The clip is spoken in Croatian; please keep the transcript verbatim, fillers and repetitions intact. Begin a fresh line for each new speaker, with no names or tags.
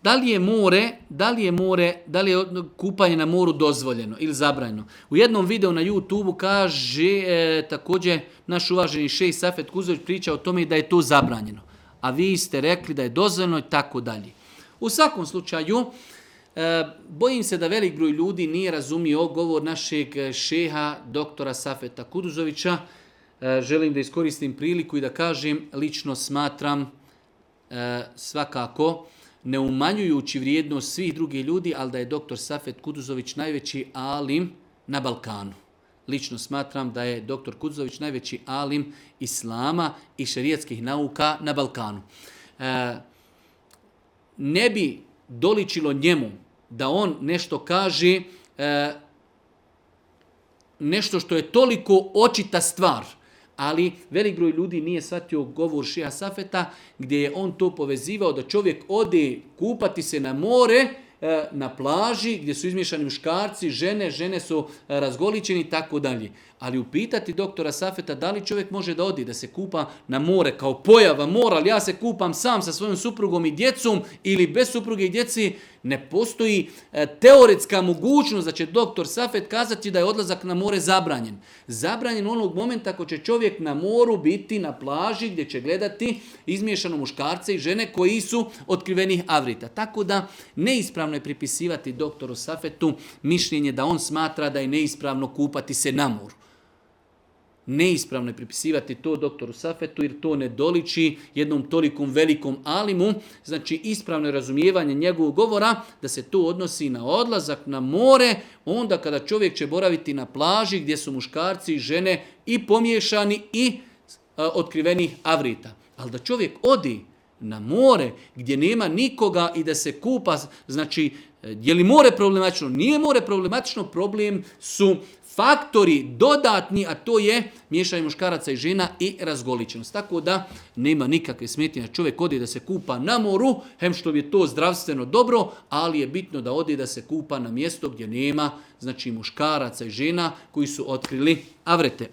Da li je more, da li je more, da li je kupanje na moru dozvoljeno ili zabranjeno? U jednom videu na YouTubeu kaže e, također naš uvaženi šejh Safet Kuzović priča o tome da je to zabranjeno. A vi ste rekli da je dozvoljeno i tako dalje. U svakom slučaju, e, bojim se da velik broj ljudi nije razumio govor našeg šeha doktora Safeta Kuduzovića. E, želim da iskoristim priliku i da kažem, lično smatram e, svakako, ne umanjujući vrijednost svih drugih ljudi, ali da je doktor Safet Kuduzović najveći alim na Balkanu. Lično smatram da je doktor Kuduzović najveći alim islama i šerijatskih nauka na Balkanu. E, ne bi doličilo njemu da on nešto kaže, e, nešto što je toliko očita stvar, ali velik broj ljudi nije shvatio govor šeha Safeta gdje je on to povezivao da čovjek ode kupati se na more, na plaži gdje su izmiješani muškarci, žene, žene su razgoličeni i tako dalje. Ali upitati doktora Safeta da li čovjek može da odi, da se kupa na more kao pojava mora, ali ja se kupam sam sa svojom suprugom i djecom ili bez supruge i djeci, ne postoji teoretska mogućnost da će doktor Safet kazati da je odlazak na more zabranjen. Zabranjen onog momenta ako će čovjek na moru biti na plaži gdje će gledati izmiješano muškarce i žene koji su otkrivenih avrita. Tako da neispravno je pripisivati doktoru Safetu mišljenje da on smatra da je neispravno kupati se na moru. Neispravno je pripisivati to doktoru Safetu jer to ne doliči jednom tolikom velikom alimu. Znači ispravno je razumijevanje njegovog govora da se to odnosi na odlazak na more onda kada čovjek će boraviti na plaži gdje su muškarci i žene i pomiješani i a, otkrivenih avrita. Ali da čovjek odi na more gdje nema nikoga i da se kupa, znači je li more problematično? Nije more problematično, problem su faktori dodatni, a to je miješanje muškaraca i žena i razgoličenost. Tako da nema nikakve smetnje da čovjek odi da se kupa na moru, hem što je to zdravstveno dobro, ali je bitno da odi da se kupa na mjesto gdje nema znači muškaraca i žena koji su otkrili avrete.